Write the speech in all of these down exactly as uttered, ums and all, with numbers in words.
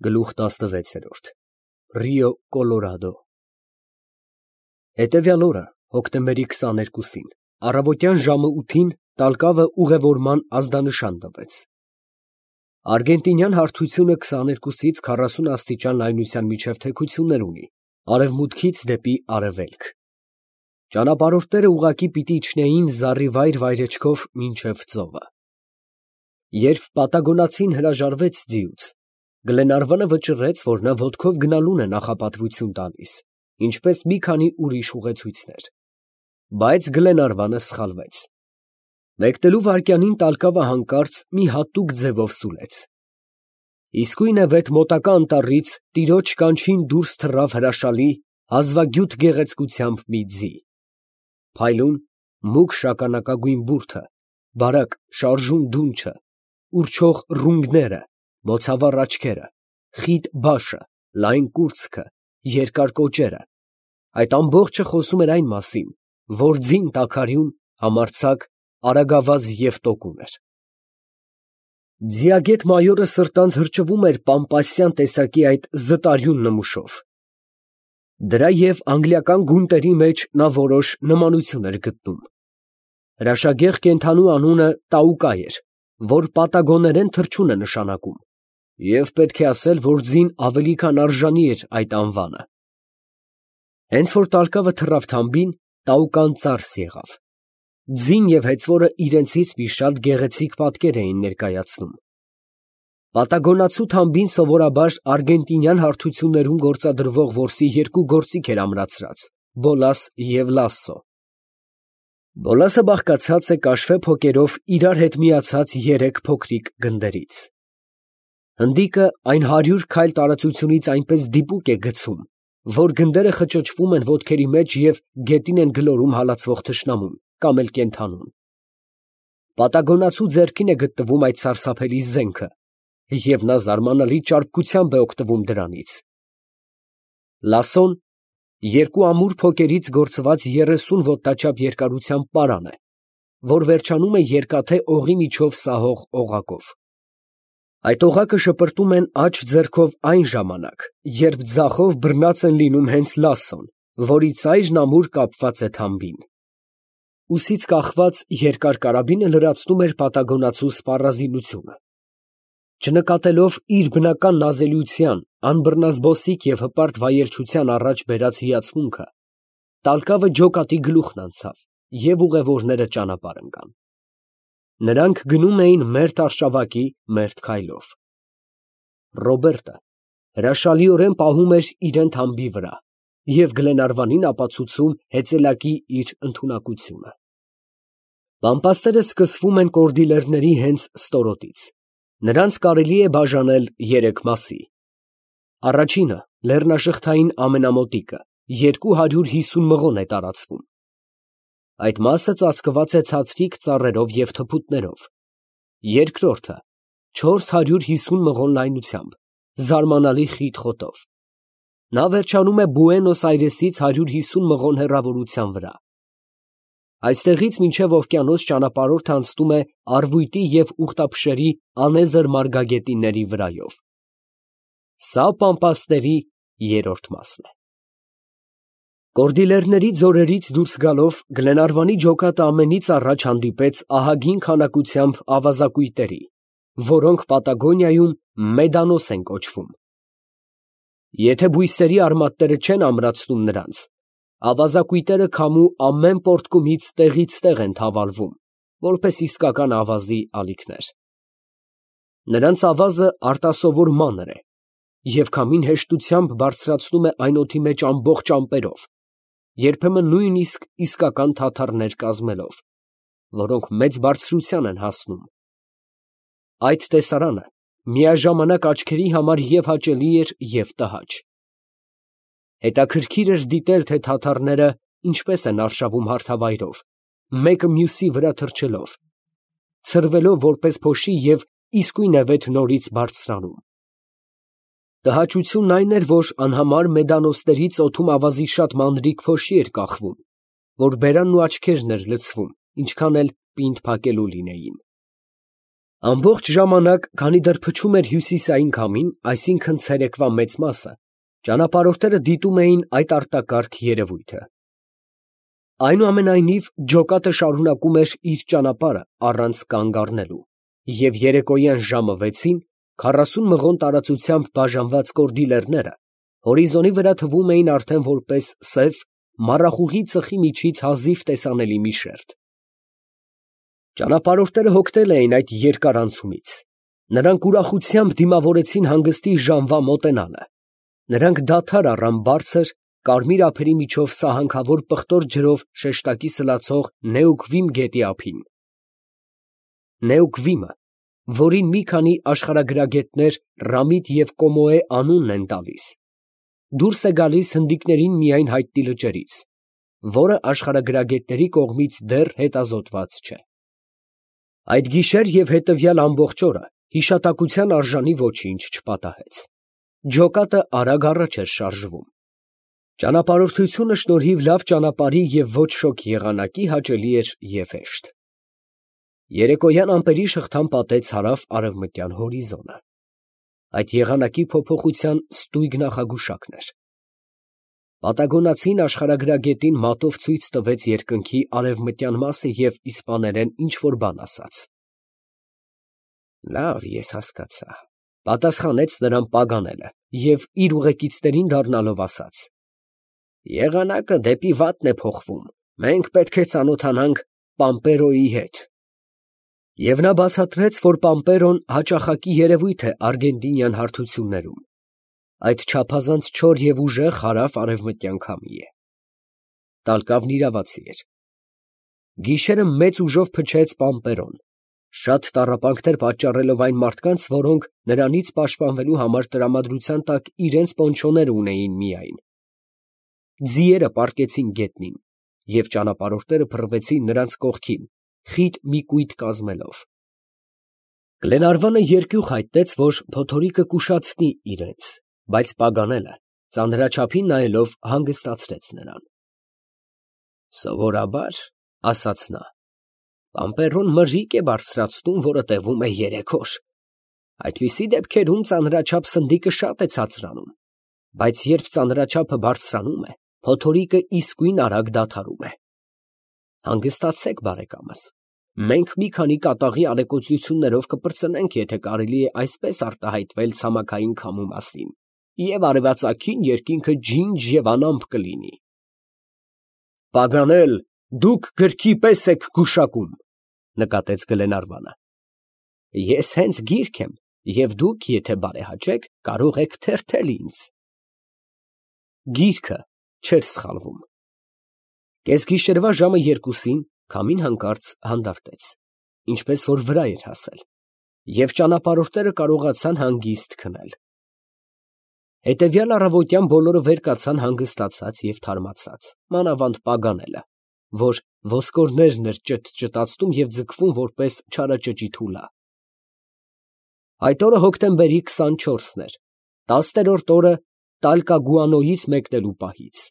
Գլուխ տասնվեց։ Ռիո Կոլորադո։ Հետևյալ օրը հոկտեմբերի քսաներկուսին առավոտյան ժամը ութին տալկավը ուղևորման ազդանշան տվեց։ Արգենտինյան հարթությունը քսաներկուսից քառասուն աստիճան լայնության միջև թեքություններ ունի արևմուտքից դեպի արևելք։ Ճանապարհորդները ուղղակի պիտի իջնեին զառիվայր վայրեջքով մինչև ծովը։ Երբ պատագոնացին հրաժարվեց ձիուց, Գլենարվանը վճռեց, որ նա ոտքով գնալուն է նախապատվություն տալիս, ինչպես մի քանի ուրիշ ուղեցույցներ, բայց Գլենարվանը սխալվեց։ Մեկնելու վայրկյանին տալկավը հանկարծ մի հատուկ ձևով սուլեց։ Իսկույն է վեթ մոտակա անտառից տիրոջ կանչին դուրս թռավ հրաշալի, հազվագյուտ գեղեցկությամբ մի ձի։ Փայլուն, մուգ շագանակագույն բուրդը, բարակ շարժուն դունչը, ուռչող ռունգները, բոցավառ աչքերը, խիտ բաշը, լայն կուրծքը, երկար կոճերը, այդ ամբողջը խոսում էր այն մասին, որ ձին տաքարյուն, համարձակ, արագավազ և տոկուն էր։ Ձիագետ մայորը սրտանց հրճվում էր պամպասյան տեսակի այդ զտարյուն նմուշով։ Դրա և անգլիական գունտերի մեջ նա որոշ նմանություն էր գտնում։ Հրաշագեղ կենդանու անունը Տաուկա էր, որ պատագոներեն թռչուն է նշանակում, և պետք է ասել, որ ձին ավելի քան արժանի էր այդ անվանը։ Հենց որ տալկավը թռավ թամբին, Տաուկան ծարս եղավ։ Ձին և հեծվորը իրենցից մի շատ գեղեցիկ պատկեր էին ներկայացնում։ Պատագոնացու թամբին սովորաբար արգենտինյան հարթություններում գործադրվող որսի երկու գործիք էր ամրացրած՝ բոլաս և լասսո։ Բոլասը բաղկացած է կաշվե փոկերով իրար հետ միացած երեք փոքրիկ գնդերից։ Հնդիկը այն հարյուր քայլ տարածությունից այնպես դիպուկ է գցում, որ գնդերը խճճվում են ոտքերի մեջ և գետին են գլորում հալածվող թշնամուն կամ էլ կենդանուն։ Պատագոնացու ձեռքին է գտնվում այդ սարսափելի զենքը, և նա զարմանալի ճարպկությամբ է օգտվում դրանից։ Լասսոն երկու ամուր փոկերից գործված երեսուն ոտնաչափ երկարությամբ պարան է, որ վերջանում է երկաթե օղի միջով սահող օղակով։ Այդ օղակը շպրտում են աջ ձեռքով այն ժամանակ, երբ ձախով բռնած են լինում հենց լասսոն, որի ծայրն ամուր կապված է թամբին։ Ուսից կախված երկար կարաբինը լրացնում էր պատագոնացու սպառազինությունը։ Չնկատելով իր բնական նազելիության, անբռնազբոսիկ և հպարտ վայելչության առաջ բերած հիացմունքը, տալկավը ջոկատի գլուխն անցավ, և ուղևորները ճանապարհ ընկան։ Նրանք գնում էին մերթ արշավակի, մերթ քայլով։ Ռոբերտը հրաշալիորեն պահում էր իրան թամբի վրա և Գլենարվանին ապացուցում հեծելակի իր ընդունակությունը։ Պամպասները սկսվում են կորդիլերների հենց ստորոտից։ Նրանց կարելի է բաժանել երեք մասի։ Առաջինը, լեռնաշղթային ամենամոտիկը, երկու հարյուր հիսուն մղոն է տարածվում։ Այդ մասը ծածկված է ցածրիկ ծառերով և թփուտներով։ Երկրորդը չորս հարյուր հիսուն մղոն լայնությամբ, զարմանալի խիտ խոտով։ Նա վերջանում է Բուենոս Այրեսից հարյուր հիսուն մղոն հեռավորության վրա։ Այստեղից մինչև օվկիանոս ճանապարհորդը անցնում է արվույտի և ուղտափշերի անեզր մարգագետինների վրայով։ Սա Պամպասների երրորդ մասն է։ Կորդիլերների ձորերից դուրս գալով Գլենարվանի ջոկատը ամենից առաջ հանդիպեց ահագին քանակությամբ ավազակույտերի, որոնք Պատագոնիայում մեդանոս են կոչվում։ Եթե բույսերի արմատները չեն ամրացնում նրանց, ավազակույտերը քամու ամեն պոռթկումից տեղից տեղ են թավալվում, որպես իսկական ավազի ալիքներ։ Նրանց ավազը արտասովոր մանր է և քամին հեշտությամբ բարձրացնում է այն օդի մեջ ամբողջ ամպերով, երբեմն նույնիսկ իսկական թաթարներ կազմելով, որոնք մեծ բարձրության են հասնում։ Այդ տեսարանը միաժամանակ աչքերի համար և հաճելի էր, և տհաճ։ Հետաքրքիր էր դիտել, թե թաթարները ինչպես են արշավում հարթավայրով, մեկը մյուսի վրա թռչելով, ցրվելով որպես փոշի և իսկույն է վեթ նորից բարձրանում։ Տհաճությունն այն էր, որ անհամար մեդանոսներից օդում ավազի շատ մանրիկ փոշի էր կախվում, որ բերանն ու աչքերն էր լցվում, ինչքան էլ պինդ փակելու լինեին։ Ամբողջ ժամանակ, քանի դեռ փչում էր հյուսիսային քամին, այսինքն ցերեկվա մեծ մասը, ճանապարհորդները դիտում էին այդ արտակարգ երևույթը։ Այնուամենայնիվ, ջոկատը շարունակում էր իր ճանապարհը առանց կանգ առնելու, և երեկոյան ժամը վեցին քառասուն մղոն տարածությամբ բաժանված կորդի լեռները հորիզոնի վրա թվում էին արդեն որպես սև, մառախուղի ծխի միջից հազիվ տեսանելի մի շերտ։ Ճանապարհորդները հոգնել էին այդ երկար անցումից. նրանք ուրախությամբ դիմավորեցին հանգստի ժամվա մոտենալը, նրանք դադար առան բարձր, կարմիր ափերի միջով սահանքավոր պղտոր ջրով շեշտակի սլացող Նեուկվիմ գետի ափին։ Նեուկվիմը, որին մի քանի աշխարհագրագետներ Ռամիտ և Կոմոե անունն են տալիս, դուրս է գալիս հնդիկներին միայն հայտնի լճերից, որը աշխարհագրագետների կողմից դեռ հետազոտված չէ։ Այդ գիշեր և հետևյալ ամբողջ օրը հիշատակության արժանի ոչինչ չպատահեց։ Ջոկատը արագ առաջ էր շարժվում։ Ճանապարհորդությունը շնորհիվ լավ ճանապարհի և ոչ շոգ եղանակի հաճելի էր և հեշտ։ Երեկոյան ամպերի շղթան պատեց հարավ֊արևմտյան հորիզոնը։ Այդ եղանակի փոփոխության ստույգ նախագուշակն էր։ Պատագոնացին աշխարհագրագետին մատով ցույց տվեց երկնքի արևմտյան մասը և իսպաներեն ինչ֊որ բան ասաց։ «Լավ, ես հասկացա», ֊ պատասխանեց նրան Պագանելը և իր ուղեկիցներին դառնալով ասաց. «Եղանակը դեպի վատն է փոխվում, մենք պետք է ծանոթանանք Պամպերոյի հետ»։ Եվ նա բացատրեց, որ Պամպերոն հաճախակի երևույթ է արգենտինյան հարթություններում. այդ չափազանց չոր և ուժեղ հարավ֊արևմտյան քամի է։ Տալկավն իրավացի էր։ Գիշերը մեծ ուժով փչեց Պամպերոն, շատ տառապանքներ պատճառելով այն մարդկանց, որոնք նրանից պաշտպանվելու համար տրամադրության տակ իրենց պոնչոները ունեին միայն։ Ձիերը պառկեցին գետնին, և ճանապարհորդները փռվեցին նրանց կողքին, խիտ մի կույտ կազմելով։ Գլենարվանը երկյուղ հայտնեց, որ փոթորիկը կուշացնի իրենց, բայց Պագանելը, ծանրաչափին նայելով, հանգստացրեց նրան։ «Սովորաբար, ֊ ասաց նա, ֊ Պամպերոն մրրիկ է բարձրացնում, որը տևում է երեք օր. այդպիսի դեպքերում ծանրաչափ սնդիկը շատ է ցածրանում, բայց երբ ծանրաչափը բարձրանում է, փոթորիկը իսկույն արագ դադարում է։ Հանգստացեք, բարեկամս, մենք մի քանի կատաղի ալեկոծություններով կպրծնենք, եթե կարելի է այսպես արտահայտվել ցամաքային քամու մասին, և արևածագին երկինքը ջինջ և անամպ կլինի»։ «Պագանել, դուք գրքի պես եք գուշակում, ֊ նկատեց Գլենարվանը։ ֊ Ես հենց գիրք եմ, և դուք, եթե բարեհաճեք, կարող եք թերթել ինձ։ Գիրքը չէր սխալվում։ Կեսգիշերվա ժամը երկուսին քամին հանկարծ հանդարտեց, ինչպես որ վրա էր հասել, և ճանապարհորդները կարողացան հանգիստ քնել։ Հետևյալ առավոտյան բոլորը վեր կացան հանգստացած և թարմացած, մանավանդ Պագանելը, որ ոսկորներն էր ճտճտացնում և ձգվում որպես չարաճճի թուլա։ Այդ օրը հոկտեմբերի քսանչորսն էր, տասներորդ օրը Տալկագուանոյից մեկնելու պահից։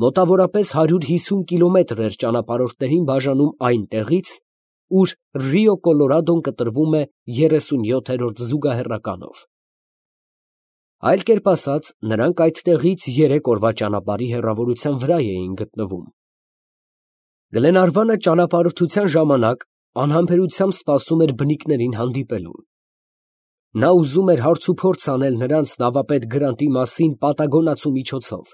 Մոտավորապես հարյուր հիսուն կիլոմետր էր ճանապարհորդներին բաժանում այն տեղից, ուր Ռիո Կոլորադոն կտրվում է երեսունյոթերորդ զուգահեռականով։ Այլ կերպ ասած, նրանք այդ տեղից երեք օրվա ճանապարհի հեռավորության վրա էին գտնվում։ Գլենարվանը ճանապարհորդության ժամանակ անհամբերությամբ սպասում էր բնիկներին հանդիպելուն։ Նա ուզում էր հարցուփորձ անել նրանց նավապետ Գրանտի մասին պատագոնացու միջոցով,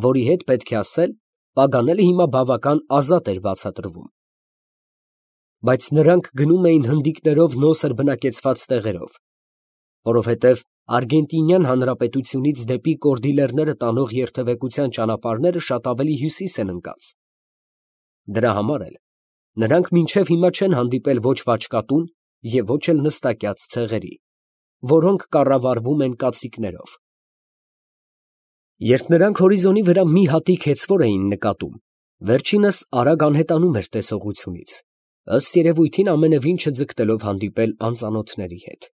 որի հետ, պետք է ասել, Պագանելը հիմա բավական ազատ էր բացատրվում։ Բայց նրանք գնում էին հնդիկներով նոսր բնակեցված տեղերով, որովհետև Արգենտինյան Հանրապետությունից դեպի Կորդիլերները տանող երթևեկության ճանապարհները շատ ավելի հյուսիս են ընկած։ Դրա համար էլ նրանք մինչև հիմա չեն հանդիպել ոչ վաճկատուն և ոչ էլ նստակյաց ցեղերի, որոնք կառավարվում են կացիկներով։ Երբ նրանք հորիզոնի վրա մի հատիկ հեծվոր էին նկատում, վերջինս արագ անհետանում էր տեսողությունից, ըստ երևույթին ամենևին չձգտելով հանդիպել անծանոթների հետ։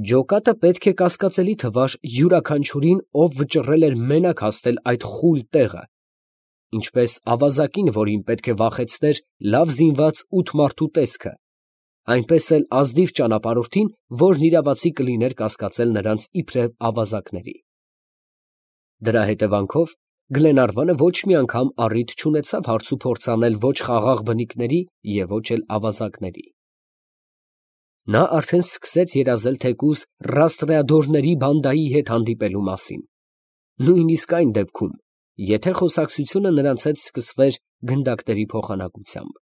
Ջոկատը պետք է կասկածելի թվար յուրաքանչյուրին, ով վճռել էր մենակ հասնել այդ խուլ տեղը, ինչպես ավազակին, որին պետք է վախեցներ լավ զինված ութ մարդու տեսքը, այնպես էլ ազնիվ ճանապարհորդին, որն իրավացի կլիներ կասկածել նրանց իբրև ավազակների։ Դրա հետևանքով Գլենարվանը ոչ մի անգամ առիթ չունեցավ հարցուփորձ անել ոչ խաղաղ բնիկների և ոչ էլ ավազակների։ Նա արդեն սկսեց երազել թեկուզ ռաստրեադորների բանդայի հետ հանդիպելու մասին, նույնիսկ այն դեպքում, եթե խոսակցությունը նրանց հետ սկսվեր գնդակների փոխանակությամբ։